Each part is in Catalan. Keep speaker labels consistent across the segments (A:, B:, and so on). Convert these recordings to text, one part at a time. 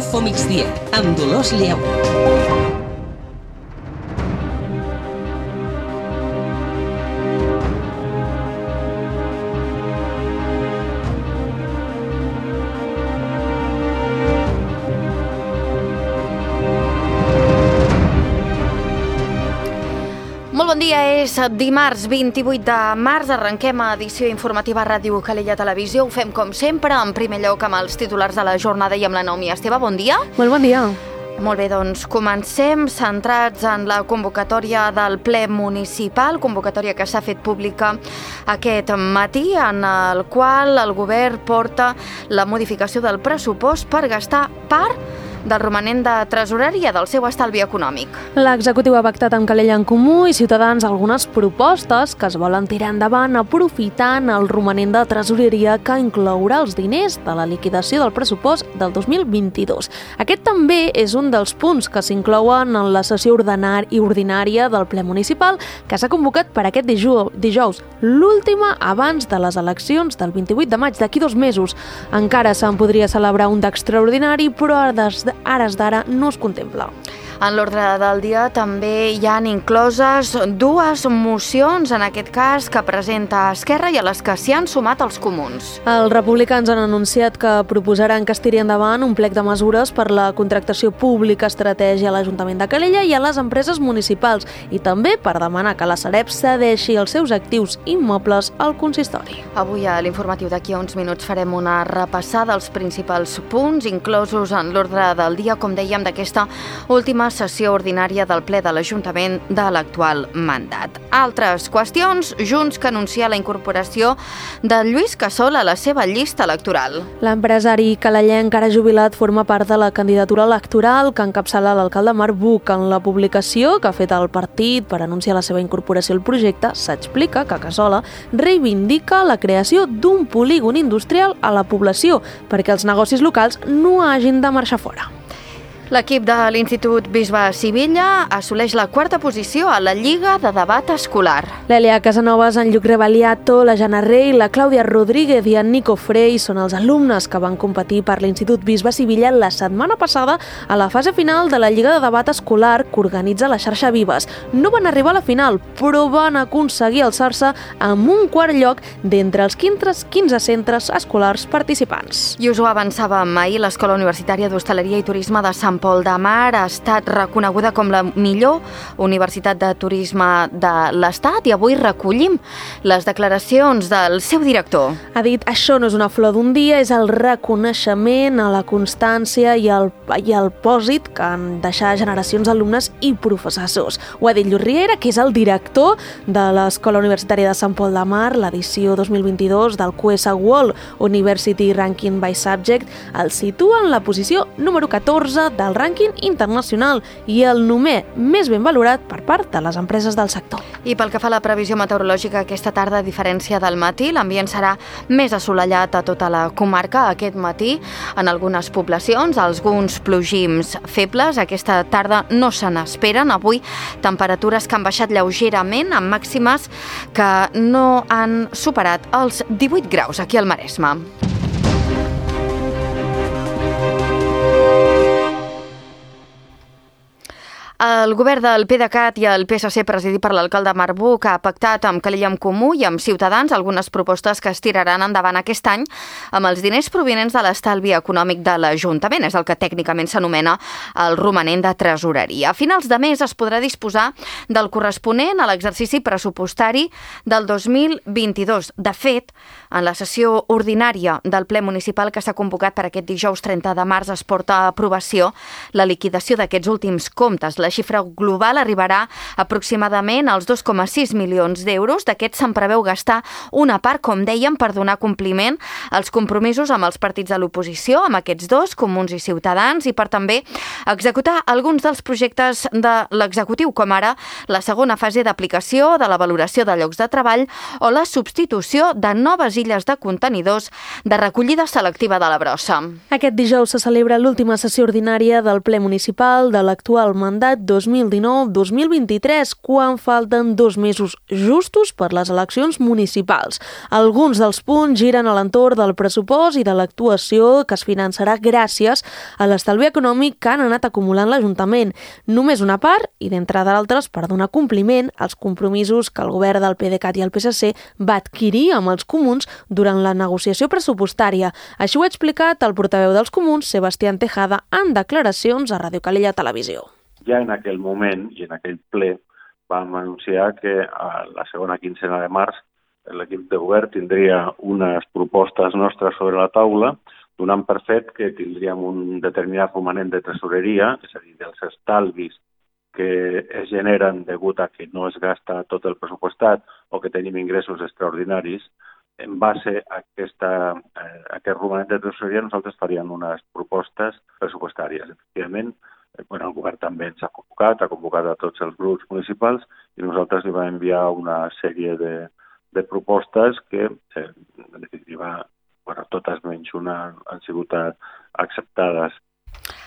A: Info Migdia, amb Dolors Lleu.
B: Molt bon dia, és dimarts 28 de març, arrenquem edició informativa a Ràdio Calella Televisió. Ho fem com sempre, en primer lloc amb els titulars de la jornada i amb la Naomi Esteve. Bon dia.
C: Molt bon dia.
B: Molt bé, doncs comencem centrats en la convocatòria del ple municipal, convocatòria que s'ha fet pública aquest matí, en el qual el govern porta la modificació del pressupost per gastar part del romanent de tresoreria del seu estalvi econòmic.
C: L'executiu ha pactat amb Calella en Comú i Ciutadans algunes propostes que es volen tirar endavant aprofitant el romanent de tresoreria que inclourà els diners de la liquidació del pressupost del 2022. Aquest també és un dels punts que s'inclouen en la sessió ordinària del ple municipal que s'ha convocat per aquest dijous, l'última abans de les eleccions del 28 de maig, d'aquí 2 mesos. Encara se'n podria celebrar un d'extraordinari, però a hores d'ara no es contempla.
B: En l'ordre del dia també hi han incloses 2 mocions, en aquest cas, que presenta Esquerra i a les que s'hi han sumat els comuns.
C: Els republicans han anunciat que proposaran que es tiri endavant un plec de mesures per la contractació pública estratègia a l'Ajuntament de Calella i a les empreses municipals i també per demanar que la Sareb cedeixi els seus actius immobles al consistori.
B: Avui a l'informatiu d'aquí a uns minuts farem una repassada als principals punts inclosos en l'ordre del dia, com dèiem, d'aquesta última sessió ordinària del ple de l'Ajuntament de l'actual mandat. Altres qüestions, Junts que anuncia la incorporació de Lluís Casol a la seva llista electoral.
C: L'empresari calellenc ara jubilat forma part de la candidatura electoral que encapçala l'alcalde Marc Buch. En la publicació que ha fet el partit per anunciar la seva incorporació al projecte, s'explica que Casola reivindica la creació d'un polígon industrial a la població perquè els negocis locals no hagin de marxar fora.
B: L'equip de l'Institut Bisbe Sivilla assoleix la 4a posició a la Lliga de Debat Escolar.
C: L'Elia Casanovas, en Lluc Rebaliato, la Jana Rey, la Clàudia Rodríguez i en Nico Frey són els alumnes que van competir per l'Institut Bisbe Sivilla la setmana passada a la fase final de la Lliga de Debat Escolar que organitza la xarxa Vives. No van arribar a la final, però van aconseguir alçar-se amb un 4è lloc d'entre els 15 centres escolars participants.
B: I us ho avançàvem ahir, l'Escola Universitària d'Hostaleria i Turisme de Sant Pol de Mar ha estat reconeguda com la millor universitat de turisme de l'Estat i avui recollim les declaracions del seu director.
C: Ha dit, això no és una flor d'un dia, és el reconeixement a la constància i el pòsit que han deixat generacions d'alumnes i professors. Ho ha dit Lluís Riera, que és el director de l'Escola Universitària de Sant Pol de Mar, l'edició 2022 del QS World University Ranking by Subject, el situa en la posició número 14 del rànquing internacional i el númer més ben valorat per part de les empreses del sector.
B: I pel que fa a la previsió meteorològica, aquesta tarda, a diferència del matí, l'ambient serà més assolellat a tota la comarca aquest matí. En algunes poblacions, alguns plogims febles. Aquesta tarda no se n'esperen. Avui, temperatures que han baixat lleugerament, amb màximes que no han superat els 18 graus aquí al Maresme. El govern del PDeCAT i el PSC, presidit per l'alcalde Marc Buch, ha pactat amb Calella en Comú i amb Ciutadans algunes propostes que es tiraran endavant aquest any amb els diners provinents de l'estalvi econòmic de l'Ajuntament. És el que tècnicament s'anomena el romanent de tresoreria. A finals de mes es podrà disposar del corresponent a l'exercici pressupostari del 2022. De fet, en la sessió ordinària del ple municipal que s'ha convocat per aquest dijous 30 de març es porta a aprovació la liquidació d'aquests últims comptes. La xifra global arribarà aproximadament als 2,6 milions d'euros. D'aquests se'n preveu gastar una part, com dèiem, per donar compliment als compromisos amb els partits de l'oposició, amb aquests dos, Comuns i Ciutadans, i per també executar alguns dels projectes de l'executiu, com ara la segona fase d'aplicació de la valoració de llocs de treball o la substitució de noves illes de contenidors de recollida selectiva de la brossa.
C: Aquest dijous se celebra l'última sessió ordinària del ple municipal de l'actual mandat mandat 2019-2023, quan falten 2 mesos justos per les eleccions municipals. Alguns dels punts giren a l'entorn del pressupost i de l'actuació que es finançarà gràcies a l'estalvi econòmic que han anat acumulant l'Ajuntament. Només una part, i d'entre d'altres, per donar compliment als compromisos que el govern del PDeCAT i el PSC va adquirir amb els comuns durant la negociació pressupostària. Així ho ha explicat el portaveu dels comuns, Sebastián Tejada, en declaracions a Ràdio Calella Televisió.
D: Ja en aquell moment i en aquell ple vam anunciar que a la segona quincena de març l'equip de govern tindria unes propostes nostres sobre la taula, donant per fet que tindríem un determinat romanent de tresoreria, és a dir, dels estalvis que es generen degut a que no es gasta tot el pressupostat o que tenim ingressos extraordinaris. En base a aquest romanent de tresoreria nosaltres faríem unes propostes pressupostàries. Efectivament, el govern també ens ha convocat a tots els grups municipals i nosaltres li vam enviar una sèrie de propostes que, en definitiva, totes menys una han sigut acceptades.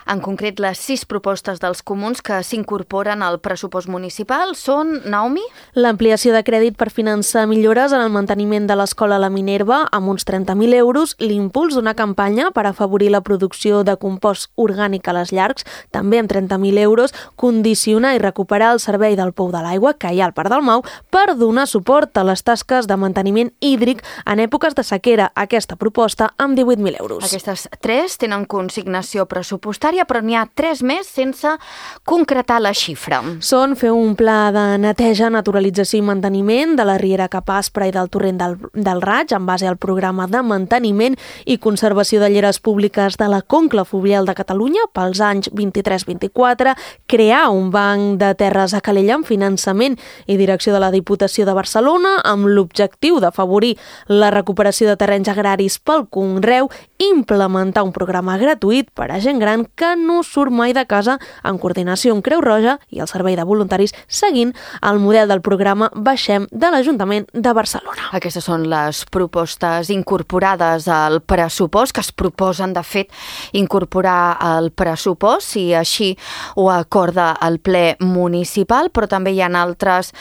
B: En concret, les 6 propostes dels comuns que s'incorporen al pressupost municipal són, Naomi?
C: L'ampliació de crèdit per finançar millores en el manteniment de l'escola La Minerva amb uns 30.000 euros, l'impuls d'una campanya per afavorir la producció de compost orgànic a les llargs, també amb 30.000 euros, condicionar i recuperar el servei del pou de l'aigua que hi ha al Parc del Mau per donar suport a les tasques de manteniment hídric en èpoques de sequera. Aquesta proposta amb 18.000 euros.
B: Aquestes 3 tenen consignació pressupostària, però n'hi ha 3 més sense concretar la xifra.
C: Són fer un pla de neteja, naturalització i manteniment de la riera Cap Aspra i del torrent del Raig en base al programa de manteniment i conservació de lleres públiques de la Conca Fluvial de Catalunya pels anys 23-24, crear un banc de terres a Calella amb finançament i direcció de la Diputació de Barcelona amb l'objectiu d'afavorir la recuperació de terrenys agraris pel conreu, implementar un programa gratuït per a gent gran que no surt mai de casa en coordinació amb Creu Roja i el Servei de Voluntaris seguint el model del programa Baixem de l'Ajuntament de Barcelona.
B: Aquestes són les propostes incorporades al pressupost, que es proposen, de fet, incorporar al pressupost, si així ho acorda el ple municipal, però també hi ha altres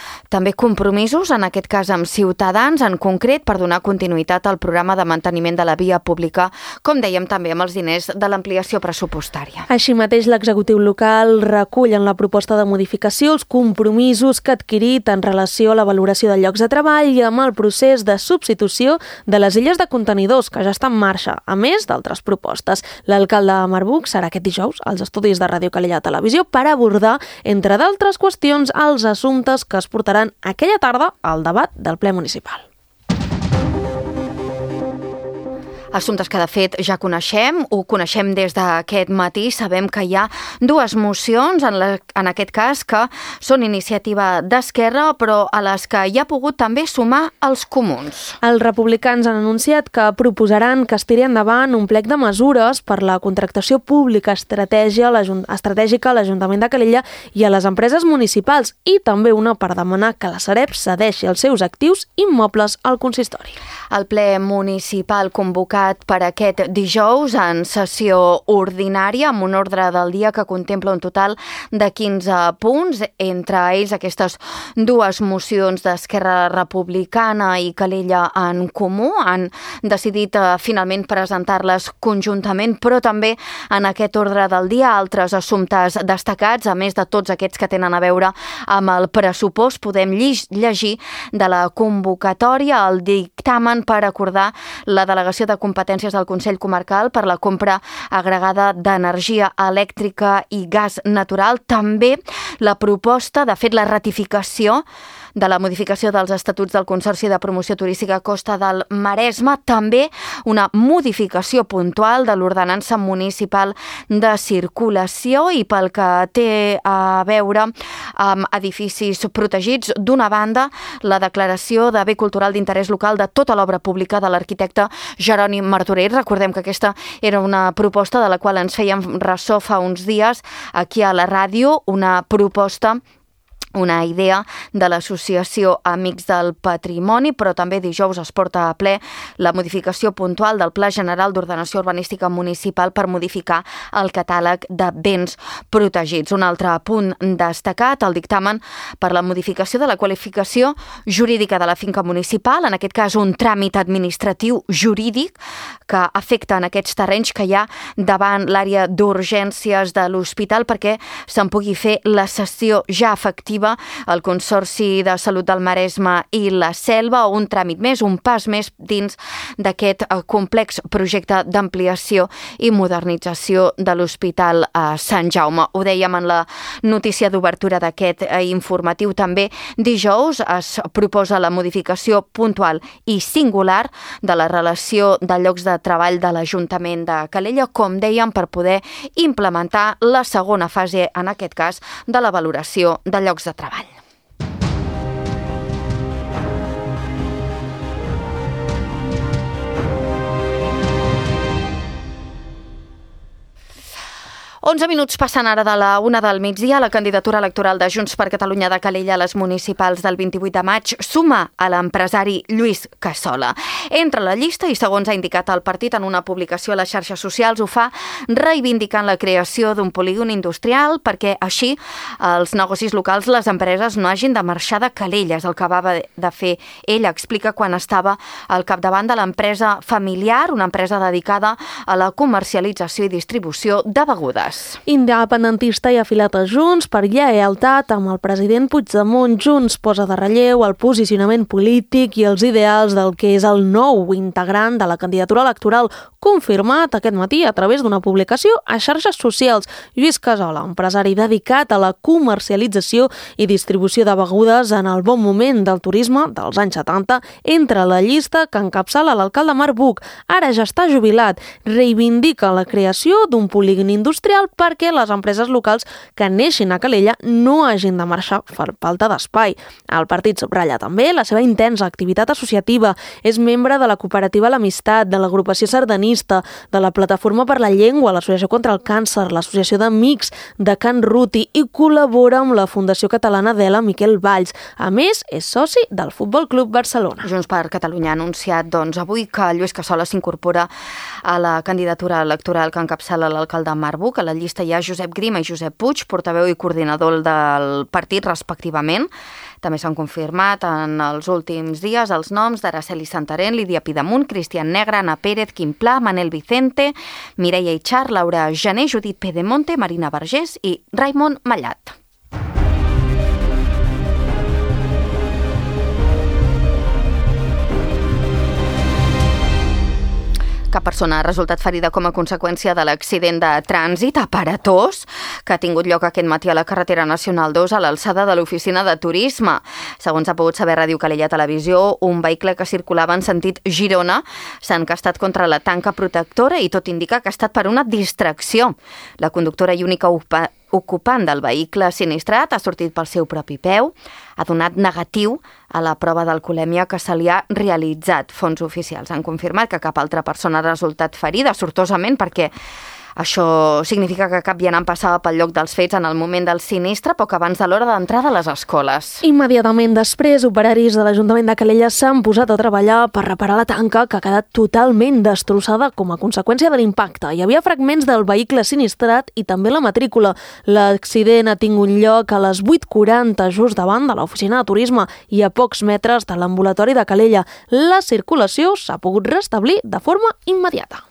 B: compromisos, en aquest cas amb Ciutadans, en concret, per donar continuïtat al programa de manteniment de la via pública, com dèiem també amb els diners de l'ampliació pressupostària.
C: Així mateix, l'executiu local recull en la proposta de modificació els compromisos que ha adquirit en relació a la valoració de llocs de treball i amb el procés de substitució de les illes de contenidors, que ja està en marxa, a més d'altres propostes. L'alcalde de Marbuc serà aquest dijous als estudis de Ràdio Calella Televisió per abordar, entre d'altres qüestions, els assumptes que es portaran aquella tarda al debat del ple municipal.
B: Assumptes que, de fet, ja coneixem, ho coneixem des d'aquest matí. Sabem que hi ha 2 mocions, en aquest cas, que són iniciativa d'Esquerra, però a les que hi ha pogut també sumar els comuns.
C: Els republicans han anunciat que proposaran que es tiri endavant un plec de mesures per la contractació pública estratègica a l'Ajuntament de Calella i a les empreses municipals, i també una per demanar que la Sareb cedeixi els seus actius immobles al consistori.
B: El ple municipal convocat per aquest dijous en sessió ordinària amb un ordre del dia que contempla un total de 15 punts, entre ells aquestes 2 mocions d'Esquerra Republicana i Calella en Comú. Han decidit finalment presentar-les conjuntament, però també en aquest ordre del dia altres assumptes destacats, a més de tots aquests que tenen a veure amb el pressupost. Podem llegir de la convocatòria el dictamen per acordar la delegació de competències del Consell Comarcal per la compra agregada d'energia elèctrica i gas natural. També la proposta, de fet, la ratificació de la modificació dels estatuts del Consorci de Promoció Turística Costa del Maresme, també una modificació puntual de l'ordenança municipal de circulació i pel que té a veure amb edificis protegits. D'una banda, la declaració de bé cultural d'interès local de tota l'obra pública de l'arquitecte Jeroni Martorell. Recordem que aquesta era una proposta de la qual ens fèiem ressò fa uns dies aquí a la ràdio, una proposta una idea de l'associació Amics del Patrimoni, però també dijous es porta a ple la modificació puntual del Pla General d'Ordenació Urbanística Municipal per modificar el catàleg de béns protegits. Un altre punt destacat, el dictamen per la modificació de la qualificació jurídica de la finca municipal, en aquest cas un tràmit administratiu jurídic que afecta en aquests terrenys que hi ha davant l'àrea d'urgències de l'hospital perquè se'n pugui fer la cessió ja efectiva al Consorci de Salut del Maresme i la Selva, o un tràmit més, un pas més dins d'aquest complex projecte d'ampliació i modernització de l'Hospital Sant Jaume. Ho dèiem en la notícia d'obertura d'aquest informatiu també. Dijous es proposa la modificació puntual i singular de la relació de llocs de treball de l'Ajuntament de Calella, com dèiem, per poder implementar la segona fase, en aquest cas, de la valoració de llocs de treball. Onze minuts passen ara de la 1 del migdia. La candidatura electoral de Junts per Catalunya de Calella a les municipals del 28 de maig suma a l'empresari Lluís Cassola. Entra a la llista i, segons ha indicat el partit en una publicació a les xarxes socials, ho fa reivindicant la creació d'un polígon industrial perquè així els negocis locals, les empreses, no hagin de marxar de Calella. És el que acaba de fer ell. Explica quan estava al capdavant de l'empresa familiar, una empresa dedicada a la comercialització i distribució de begudes.
C: Independentista i afilat a Junts per lleialtat amb el president Puigdemont. Junts posa de relleu el posicionament polític i els ideals del que és el nou integrant de la candidatura electoral, confirmat aquest matí a través d'una publicació a xarxes socials. Lluís Cassola, empresari dedicat a la comercialització i distribució de begudes en el bon moment del turisme dels anys 70, entra a la llista que encapçala l'alcalde Marc Buch. Ara ja està jubilat. Reivindica la creació d'un polígon industrial perquè les empreses locals que neixin a Calella no hagin de marxar per falta d'espai. El partit subratlla també la seva intensa activitat associativa. És membre de la cooperativa L'Amistat, de l'agrupació sardanista, de la Plataforma per la Llengua, l'Associació contra el Càncer, l'Associació d'Amics de Can Ruti i col·labora amb la Fundació Catalana d'Ela Miquel Valls. A més, és soci del Futbol Club Barcelona.
B: Junts per Catalunya ha anunciat avui que Lluís Cassola s'incorpora a la candidatura electoral que encapçala l'alcalde Marc Buch. A la llista hi ha Josep Grima i Josep Puig, portaveu i coordinador del partit, respectivament. També s'han confirmat en els últims dies els noms d'Araceli Santarén, Lídia Pidemunt, Cristian Negre, Ana Pérez, Quim Pla, Manel Vicente, Mireia Itxar, Laura Jané, Judit Pedemonte, Marina Vergés i Raimon Mallat. Cap persona ha resultat ferida com a conseqüència de l'accident de trànsit aparatós que ha tingut lloc aquest matí a la carretera nacional 2 a l'alçada de l'oficina de turisme. Segons ha pogut saber Ràdio Calella Televisió, un vehicle que circulava en sentit Girona s'ha encastat contra la tanca protectora i tot indica que ha estat per una distracció. La conductora i única ocupant del vehicle sinistrat ha sortit pel seu propi peu, ha donat negatiu a la prova d'alcoholèmia que se li ha realitzat. Fonts oficials han confirmat que cap altra persona ha resultat ferida, sortosament, perquè això significa que cap vianant passava pel lloc dels fets en el moment del sinistre, poc abans de l'hora d'entrada a les escoles.
C: Immediatament després, operaris de l'Ajuntament de Calella s'han posat a treballar per reparar la tanca que ha quedat totalment destrossada com a conseqüència de l'impacte. Hi havia fragments del vehicle sinistrat i també la matrícula. L'accident ha tingut lloc a les 8:40, just davant de l'oficina de turisme i a pocs metres de l'ambulatori de Calella. La circulació s'ha pogut restablir de forma immediata.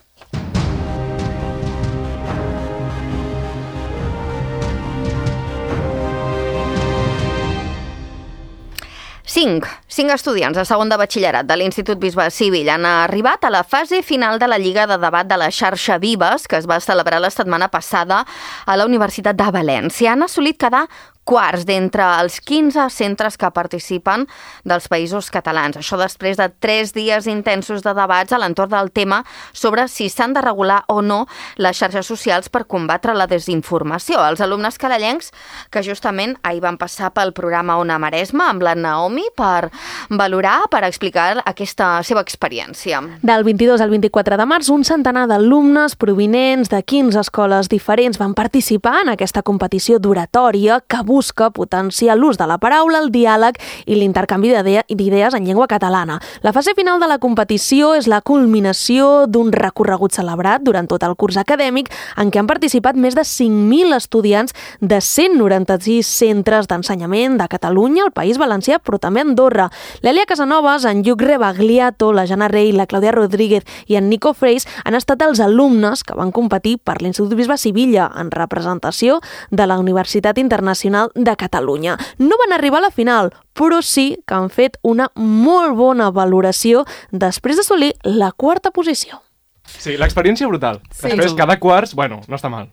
B: Cinc estudiants de segon de batxillerat de l'Institut Bisbe Civil han arribat a la fase final de la Lliga de Debat de la Xarxa Vives, que es va celebrar la setmana passada a la Universitat de València. Han assolit quedar quarts d'entre els 15 centres que participen dels països catalans. Això després de 3 dies intensos de debats a l'entorn del tema sobre si s'han de regular o no les xarxes socials per combatre la desinformació. Els alumnes calellencs que justament ahir van passar pel programa Ona Maresme amb la Naomi per valorar per explicar aquesta seva experiència.
C: Del 22 al 24 de març, un centenar d'alumnes provinents de 15 escoles diferents van participar en aquesta competició d'oratòria que busca potenciar l'ús de la paraula, el diàleg i l'intercanvi d'idees en llengua catalana. La fase final de la competició és la culminació d'un recorregut celebrat durant tot el curs acadèmic en què han participat més de 5.000 estudiants de 196 centres d'ensenyament de Catalunya, el País Valencià, però també Andorra. L'Èlia Casanovas, en Lluc Rebagliato, la Jana Rey, la Clàudia Rodríguez i en Nico Freis han estat els alumnes que van competir per l'Institut Bisbe Sivilla en representació de la Universitat Internacional de Catalunya. No van arribar a la final, però sí que han fet una molt bona valoració després d'assolir la quarta posició.
E: Sí, l'experiència brutal. Sí. Després, cada quarts, bueno, no està mal.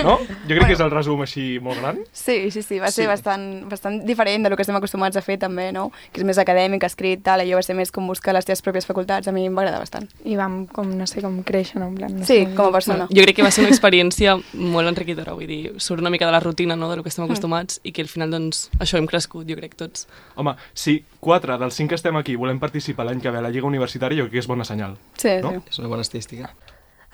E: No? Jo crec que és el resum així molt gran.
F: Sí, va ser bastant diferent del que estem acostumats a fer també, no? Que és més acadèmic, escrit, tal, allò va ser més com buscar les teves pròpies facultats, a mi em va agradar bastant.
G: I vam, com créixer, no? En plan,
F: sí, com a persona.
H: Jo crec que va ser una experiència molt enriquidora, vull dir, surt una mica de la rutina, no?, del que estem acostumats i que al final, doncs, això hem crescut, jo crec, tots.
E: Home, si 4 dels 5 que estem aquí volem participar l'any que ve a la Lliga Universitària, jo crec que és bona senyal.
F: Sí,
E: no?
F: sí.
I: És una bona estadística.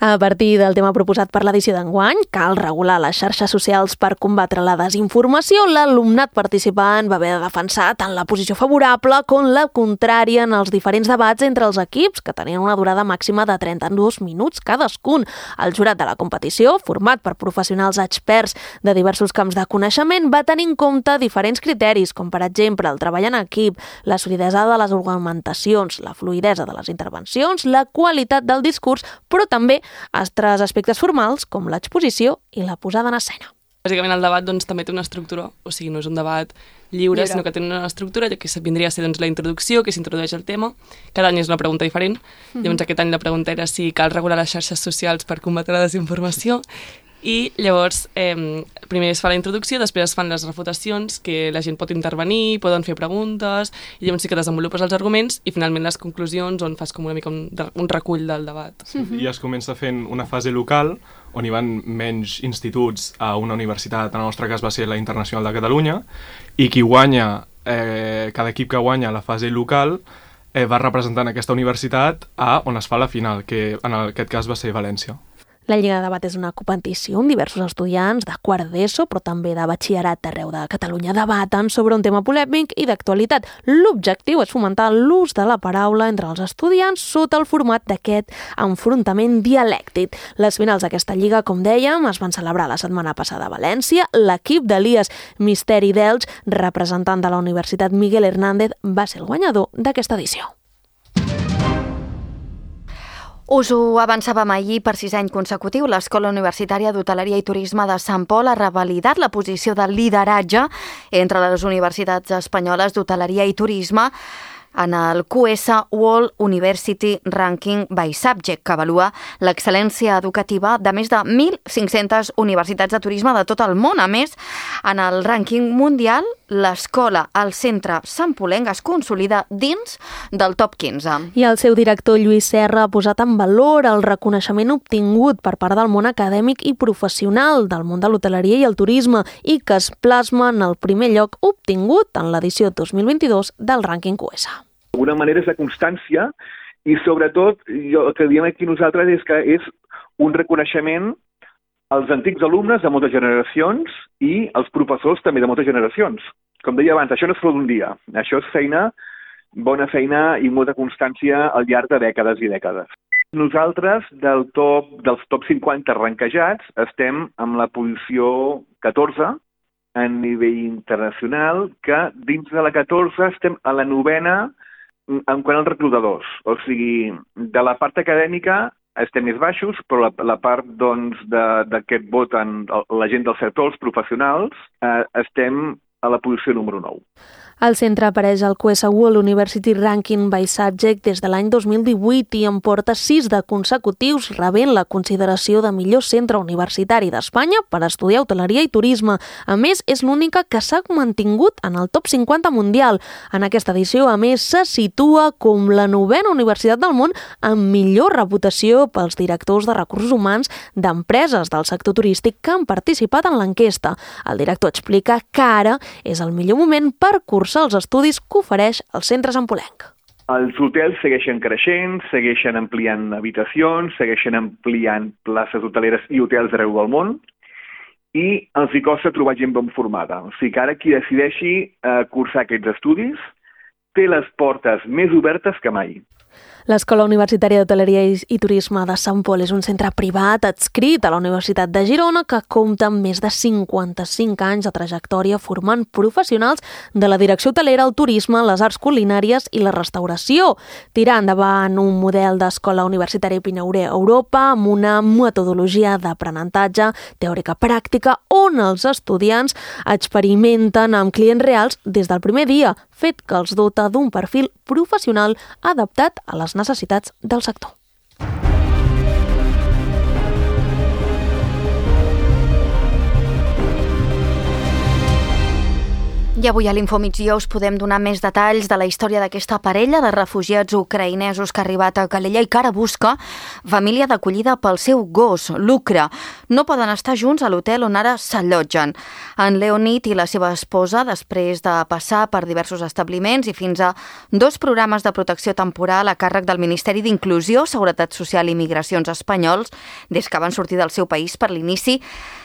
C: A partir del tema proposat per l'edició d'enguany, cal regular les xarxes socials per combatre la desinformació. L'alumnat participant va haver de defensar tant la posició favorable com la contrària en els diferents debats entre els equips, que tenien una durada màxima de 32 minuts cadascun. El jurat de la competició, format per professionals experts de diversos camps de coneixement, va tenir en compte diferents criteris, com per exemple el treball en equip, la solidesa de les argumentacions, la fluïdesa de les intervencions, la qualitat del discurs, però també altres aspectes formals com l'exposició i la posada en escena.
H: Bàsicament el debat doncs, també té una estructura, o sigui, no és un debat lliure, sinó que té una estructura que vindria a ser doncs, la introducció, que s'introdueix el tema. Cada any és una pregunta diferent. Llavors aquest any la pregunta era si cal regular les xarxes socials per combatre la desinformació. I llavors primer es fa la introducció, després es fan les refutacions, que la gent pot intervenir, poden fer preguntes, i llavors sí que desenvolupes els arguments i finalment les conclusions on fas com una mica un recull del debat.
E: I es comença fent una fase local on hi van menys instituts a una universitat, en el nostre cas va ser la Internacional de Catalunya, i qui guanya, cada equip que guanya la fase local va representant aquesta universitat a on es fa la final, que en aquest cas va ser València.
C: La Lliga de Debat és una competició on diversos estudiants de quart d'ESO, però també de batxillerat d'arreu de Catalunya, debaten sobre un tema polèmic i d'actualitat. L'objectiu és fomentar l'ús de la paraula entre els estudiants sota el format d'aquest enfrontament dialèctic. Les finals d'aquesta lliga, com dèiem, es van celebrar la setmana passada a València. L'equip d'Elias Misteri d'Elx, representant de la Universitat Miguel Hernández, va ser el guanyador d'aquesta edició.
B: Us ho avançàvem ahir, per 6 anys consecutiu, l'Escola Universitària d'Hoteleria i Turisme de Sant Pol ha revalidat la posició de lideratge entre les universitats espanyoles d'hoteleria i turisme en el QS World University Ranking by Subject, que avalua l'excel·lència educativa de més de 1.500 universitats de turisme de tot el món. A més, en el rànquing mundial, l'escola al centre santpolenc es consolida dins del top 15.
C: I el seu director, Lluís Serra, ha posat en valor el reconeixement obtingut per part del món acadèmic i professional del món de l'hoteleria i el turisme i que es plasma en el primer lloc obtingut en l'edició 2022 del rànquing QS.
J: D'alguna manera és la constància i sobretot el que diem aquí nosaltres és que és un reconeixement als antics alumnes de moltes generacions i als professors també de moltes generacions. Com deia abans, això no es fa d'un dia, això és feina, bona feina i molta constància al llarg de dècades i dècades. Nosaltres, dels top 50 ranquejats, estem en la posició 14 a nivell internacional, que dins de la 14 estem a la 9ª en quant als reclutadors. O sigui, de la part acadèmica estem més baixos, però la part d'aquest vot en la gent del sector, els professionals, estem a la posició número 9.
C: El centre apareix al QS World University Ranking by Subject des de l'any 2018 i en porta 6 de consecutius, rebent la consideració de millor centre universitari d'Espanya per estudiar hoteleria i turisme. A més, és l'única que s'ha mantingut en el top 50 mundial. En aquesta edició, a més, se situa com la 9ª universitat del món amb millor reputació pels directors de recursos humans d'empreses del sector turístic que han participat en l'enquesta. El director explica que ara és el millor moment per corregir cursar els estudis que ofereix el centre Sampolenc.
J: Els hotels segueixen creixent, segueixen ampliant habitacions, segueixen ampliant places hoteleres i hotels arreu del món, i els hi costa trobar gent ben formada. O sigui que ara qui decideixi cursar aquests estudis té les portes més obertes que mai.
C: L'Escola Universitària d'Hoteleria i Turisme de Sant Pol és un centre privat adscrit a la Universitat de Girona que compta amb més de 55 anys de trajectòria formant professionals de la direcció hotelera, el turisme, les arts culinàries i la restauració. Tirar endavant un model d'escola universitària pioner a Europa amb una metodologia d'aprenentatge teòrica pràctica on els estudiants experimenten amb clients reals des del primer dia, fet que els dota d'un perfil professional adaptat a les necessitats del sector.
B: I avui a l'Infomigdia us podem donar més detalls de la història d'aquesta parella de refugiats ucraïnesos que ha arribat a Calella i que ara busca família d'acollida pel seu gos, Lucre. No poden estar junts a l'hotel on ara s'allotgen. En Leonid i la seva esposa, després de passar per diversos establiments i fins a 2 programes de protecció temporal a càrrec del Ministeri d'Inclusió, Seguretat Social i Migracions espanyols, des que van sortir del seu país per l'inici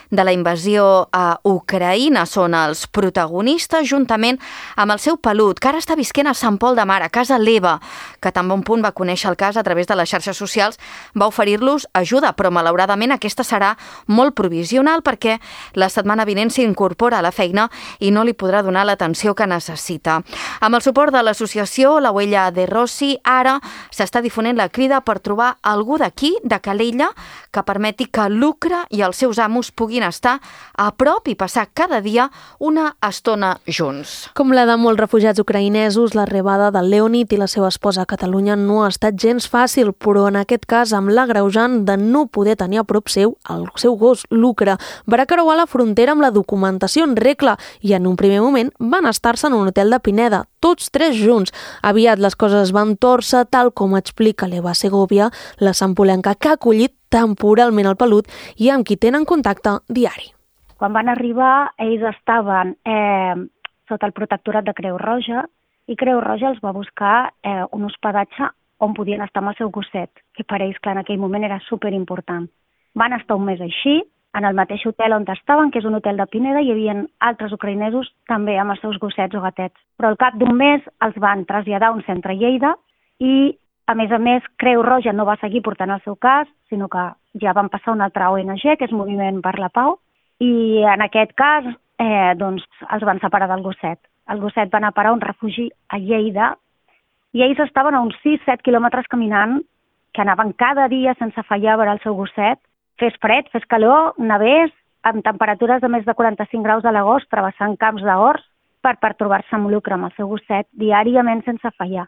B: de la invasió a Ucraïna, són els protagonistes juntament amb el seu pelut, que ara està visquent a Sant Pol de Mar, a casa l'Eva, que tan bon punt va conèixer el cas a través de les xarxes socials, va oferir-los ajuda, però malauradament aquesta serà molt provisional perquè la setmana vinent s'incorpora a la feina i no li podrà donar l'atenció que necessita. Amb el suport de l'associació La Huella de Rossi, ara s'està difonent la crida per trobar algú d'aquí, de Calella, que permeti que Lucre i els seus amos puguin estar a prop i passar cada dia una estona junts.
C: Com la de molts refugiats ucraïnesos, l'arribada del Leonid i la seva esposa a Catalunya no ha estat gens fàcil, però en aquest cas amb l'agreujant de no poder tenir a prop seu el seu gos, Lucre. Va creuar la frontera amb la documentació en regla i en un primer moment van estar-se en un hotel de Pineda, tots 3 junts. Aviat les coses van tòrcer, tal com explica l'Eva Segovia, la sampolenca que ha acollit temporalment el pelut i amb qui tenen contacte diari.
I: Quan van arribar, ells estaven sota el protectorat de Creu Roja i Creu Roja els va buscar un hospedatge on podien estar amb el seu gosset, que per ells, clar, en aquell moment era superimportant. Van estar un mes així, en el mateix hotel on estaven, que és un hotel de Pineda, hi havia altres ucraïnesos també amb els seus gossets o gatets. Però al cap d'un mes els van traslladar a un centre a Lleida i, a més, Creu Roja no va seguir portant el seu cas, sinó que ja van passar una altra ONG, que és Moviment per la Pau, i en aquest cas doncs, els van separar del gosset. El gosset va anar a parar a un refugi a Lleida i ells estaven a uns 6-7 quilòmetres caminant, que anaven cada dia sense fallar a veure el seu gosset. Fes fred, fes calor, nevés, amb temperatures de més de 45 graus a l'agost, travessant camps d'horts per trobar-se amb Lucre, amb el seu gosset, diàriament sense fallar.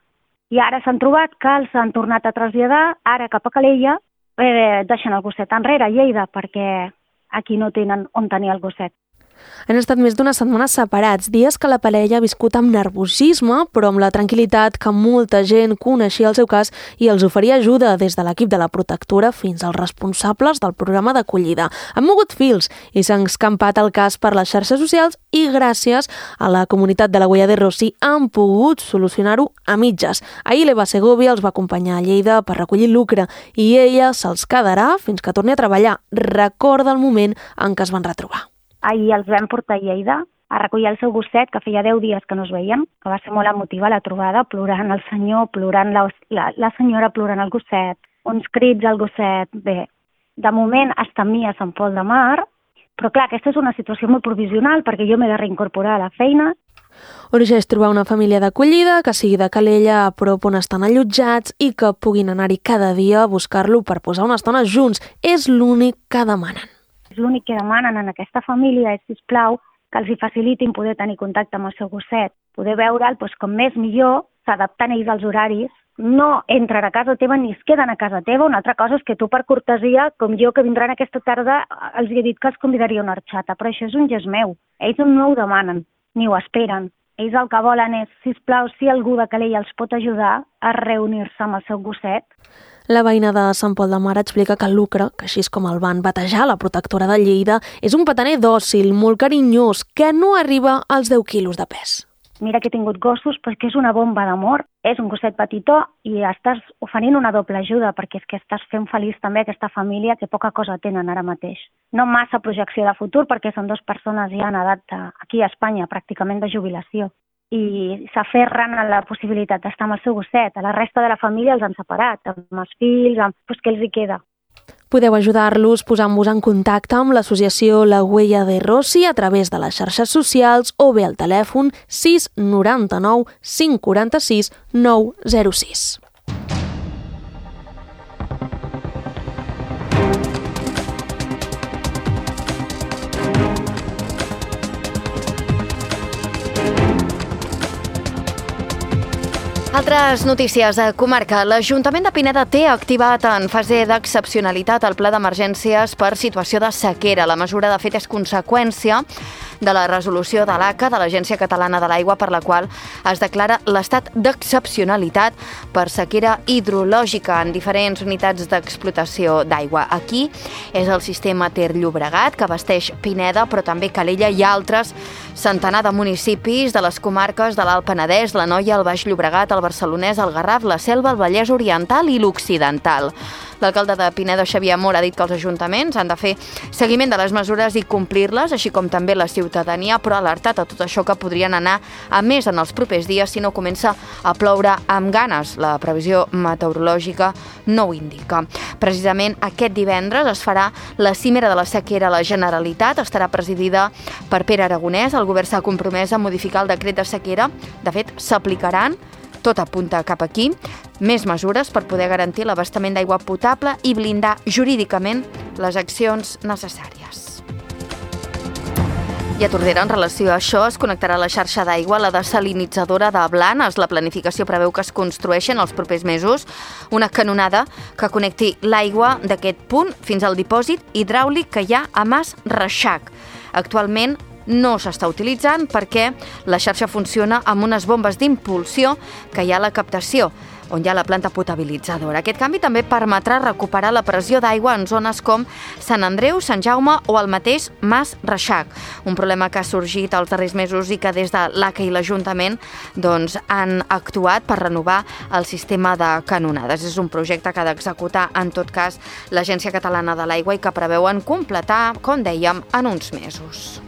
I: I ara s'han trobat que els han tornat a traslladar, ara cap a Calella, deixant el gosset enrere, a Lleida, perquè aquí no tenen on tenir el gosset.
C: Han estat més d'una setmana separats, dies que la parella ha viscut amb nerviosisme, però amb la tranquil·litat que molta gent coneixia el seu cas i els oferia ajuda des de l'equip de la protectora fins als responsables del programa d'acollida. Han mogut fils i s'han escampat el cas per les xarxes socials i gràcies a la comunitat de la Huella de Rossi han pogut solucionar-ho a mitges. Ahir l'Eva Segovia els va acompanyar a Lleida per recollir Lucre i ella se'ls quedarà fins que torni a treballar. Recorda el moment en què es van retrobar.
I: Ahir els vam portar a Lleida a recollir el seu gosset, que feia 10 dies que no es veien, que va ser molt emotiva la trobada, plorant el senyor, plorant la senyora, plorant el gosset, uns crits al gosset. Bé, de moment està amb mi a Sant Pol de Mar, però clar, aquesta és una situació molt provisional perquè jo m'he de reincorporar a la feina.
C: Urgeix trobar una família d'acollida que sigui de Calella, a prop on estan allotjats i que puguin anar-hi cada dia a buscar-lo per posar una estona junts. És l'únic que demanen.
I: L'únic que demanen en aquesta família és, sisplau, que els hi facilitin poder tenir contacte amb el seu gosset, poder veure'l com més millor, s'adaptant ells als horaris, no entren a casa teva ni es queden a casa teva. Una altra cosa és que tu, per cortesia, com jo, que vindran aquesta tarda, els he dit que els convidaria una horxata, però això és un gest meu. Ells no ho demanen, ni ho esperen. Ells el que volen és, sisplau, si algú de Calella els pot ajudar a reunir-se amb el seu gosset.
C: La veïna de Sant Pol de Mar explica que Lucre, que així és com el van batejar la protectora de Lleida, és un petaner dòcil, molt carinyós, que no arriba als 10 quilos de pes.
I: mira que he tingut gossos, però que és una bomba d'amor. És un gosset petitó i estàs oferint una doble ajuda perquè és que estàs fent feliç també aquesta família que poca cosa tenen ara mateix. No massa projecció de futur perquè són 2 persones ja en edat aquí a Espanya, pràcticament de jubilació. I s'aferren a la possibilitat d'estar amb el seu gosset. A la resta de la família els han separat, amb els fills, doncs què els hi queda?
C: Podeu ajudar-los posant-vos en contacte amb l'associació La Huella de Rossi a través de les xarxes socials o bé al telèfon 699 546 906.
B: Altres notícies a comarca. L'Ajuntament de Pineda té activat en fase d'excepcionalitat el pla d'emergències per situació de sequera. La mesura, de fet, és conseqüència de la resolució de l'ACA, de l'Agència Catalana de l'Aigua, per la qual es declara l'estat d'excepcionalitat per sequera hidrològica en diferents unitats d'explotació d'aigua. Aquí és el sistema Ter Llobregat, que abasteix Pineda, però també Calella i altres centenar de municipis de les comarques de l'Alt Penedès, l'Anoia, el Baix Llobregat, el Barcelonès, el Garraf, la Selva, el Vallès Oriental i l'Occidental. L'alcalde de Pineda, Xavier Amor, ha dit que els ajuntaments han de fer seguiment de les mesures i complir-les, així com també la ciutadania, però ha alertat a tot això que podrien anar a més en els propers dies si no comença a ploure amb ganes. La previsió meteorològica no ho indica. Precisament aquest divendres es farà la cimera de la sequera a la Generalitat, estarà presidida per Pere Aragonès. El govern s'ha compromès a modificar el decret de sequera. De fet, s'aplicaran, tot apunta cap aquí, més mesures per poder garantir l'abastament d'aigua potable i blindar jurídicament les accions necessàries. I a Tordera, en relació a això, es connectarà a la xarxa d'aigua la desalinitzadora de Blanes. La planificació preveu que es construeixi en els propers mesos una canonada que connecti l'aigua d'aquest punt fins al dipòsit hidràulic que hi ha a Mas Reixac. Actualment no s'està utilitzant perquè la xarxa funciona amb unes bombes d'impulsió que hi ha a la captació, on hi ha la planta potabilitzadora. Aquest canvi també permetrà recuperar la pressió d'aigua en zones com Sant Andreu, Sant Jaume o el mateix Mas Reixac. Un problema que ha sorgit els darrers mesos i que des de l'ACA i l'Ajuntament han actuat per renovar el sistema de canonades. És un projecte que ha d'executar, en tot cas, l'Agència Catalana de l'Aigua i que preveuen completar, com dèiem, en uns mesos.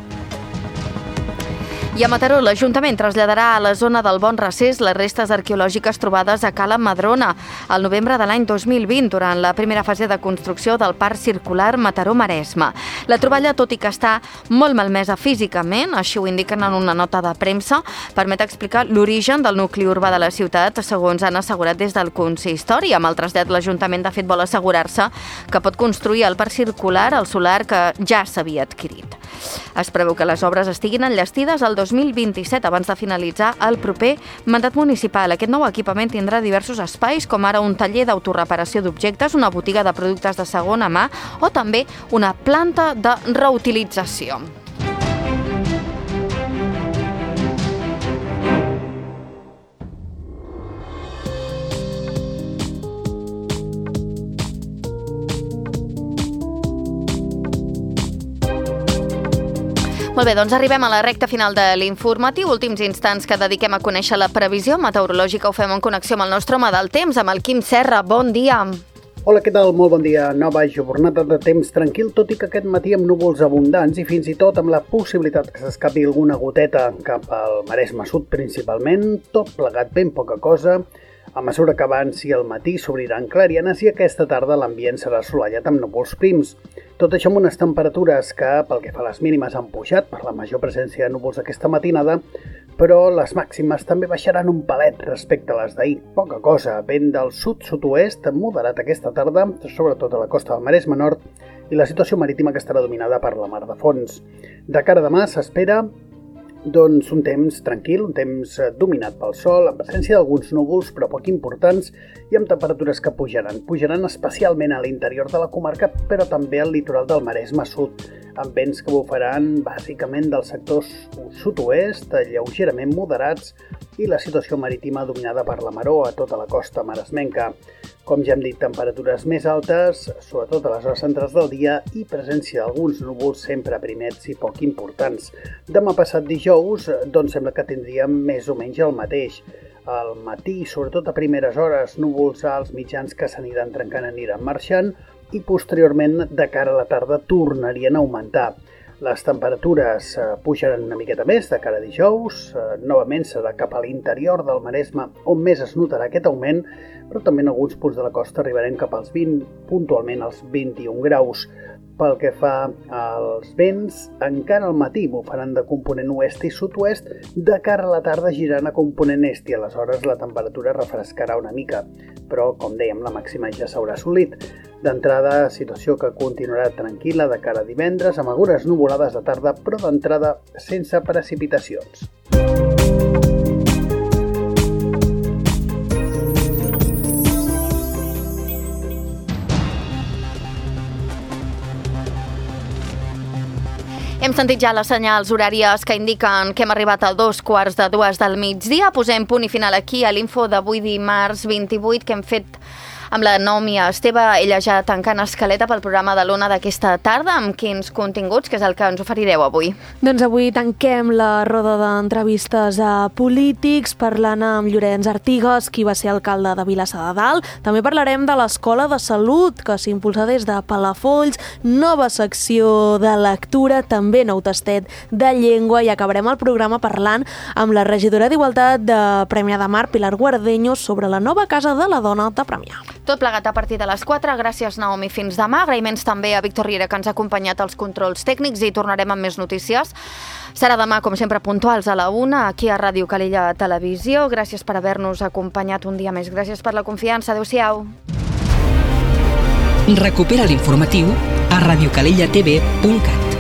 B: I a Mataró, l'Ajuntament traslladarà a la zona del Bon Recés les restes arqueològiques trobades a Cala Madrona al novembre de l'any 2020, durant la primera fase de construcció del Parc Circular Mataró-Maresme. La troballa, tot i que està molt malmesa físicament, així ho indiquen en una nota de premsa, permet explicar l'origen del nucli urbà de la ciutat, segons han assegurat des del consistori. Amb el trasllat, l'Ajuntament, de fet, vol assegurar-se que pot construir el Parc Circular al solar que ja s'havia adquirit. Es preveu que les obres estiguin enllestides al 2027, abans de finalitzar el proper mandat municipal. Aquest nou equipament tindrà diversos espais, com ara un taller d'autoreparació d'objectes, una botiga de productes de segona mà o també una planta de reutilització. Molt bé, doncs arribem a la recta final de l'informatiu, últims instants que dediquem a conèixer la previsió meteorològica. Ho fem en connexió amb el nostre home del temps, amb el Quim Serra. Bon dia.
K: Hola, què tal? Molt bon dia. Nova jornada de temps tranquil, tot i que aquest matí amb núvols abundants i fins i tot amb la possibilitat que s'escapi alguna goteta cap al Maresme Sud principalment, tot plegat ben poca cosa. A mesura que avanci el matí s'obriran clarianes i aquesta tarda l'ambient serà assolellat amb núvols prims. Tot això amb unes temperatures que, pel que fa a les mínimes, han pujat per la major presència de núvols aquesta matinada, però les màximes també baixaran un palet respecte a les d'ahir. Poca cosa, vent del sud-sud-oest moderat aquesta tarda, sobretot a la costa del Maresme Nord, i la situació marítima que estarà dominada per la mar de fons. De cara a demà s'espera un temps tranquil, un temps dominat pel sol, amb presència d'alguns núvols però poc importants i amb temperatures que pujaran especialment a l'interior de la comarca, però també al litoral del Maresme Sud, amb vents que bufaran bàsicament dels sectors sud-oest, lleugerament moderats, i la situació marítima dominada per la maró a tota la costa maresmenca. Com ja hem dit, temperatures més altes, sobretot a les hores centrals del dia, i presència d'alguns núvols sempre primets i poc importants. Demà passat dijous, doncs sembla que tindríem més o menys el mateix. Al matí, sobretot a primeres hores, núvols alts mitjans que s'aniran trencant, aniran marxant, i posteriorment, de cara a la tarda, tornarien a augmentar. Les temperatures pujaran una miqueta més de cara a dijous, novament serà cap a l'interior del Maresme on més es notarà aquest augment, però també en alguns punts de la costa arribarem cap als 20, puntualment als 21 graus. Pel que fa als vents, encara al matí bufaran de component oest i sud-oest, de cara a la tarda giraran a component est i aleshores la temperatura refrescarà una mica, però, com dèiem, la màxima ja s'haurà assolit. D'entrada, situació que continuarà tranquil·la de cara a divendres, amb algunes nuvolades de tarda, però d'entrada sense precipitacions.
B: Hem sentit ja les senyals horàries que indiquen que hem arribat a 2:45 del migdia. Posem punt i final aquí a l'info d'avui dimarts 28 que hem fet amb la Nòmia Esteve, ella ja tancant escaleta pel programa de l'Ona d'aquesta tarda. Amb quins continguts, que és el que ens oferireu avui?
C: Doncs avui tanquem la roda d'entrevistes a polítics parlant amb Llorenç Artigas, qui va ser alcalde de Vilassar de Dalt. També parlarem de l'Escola de Salut, que s'impulsa des de Palafolls, nova secció de lectura, també nou tastet de llengua, i acabarem el programa parlant amb la regidora d'Igualtat de Premià de Mar, Pilar Guardeño, sobre la nova Casa de la Dona de Premià.
B: Tot plegat a partir de les 4. Gràcies, Naomi. Fins demà. Agraïments també a Víctor Riera, que ens ha acompanyat als controls tècnics, i tornarem amb més notícies. Serà demà, com sempre, puntuals a la 1, aquí a Ràdio Calella Televisió. Gràcies per haver-nos acompanyat un dia més. Gràcies per la confiança. Adéu-siau.
A: Recupera l'informatiu a radiocalellatv.cat.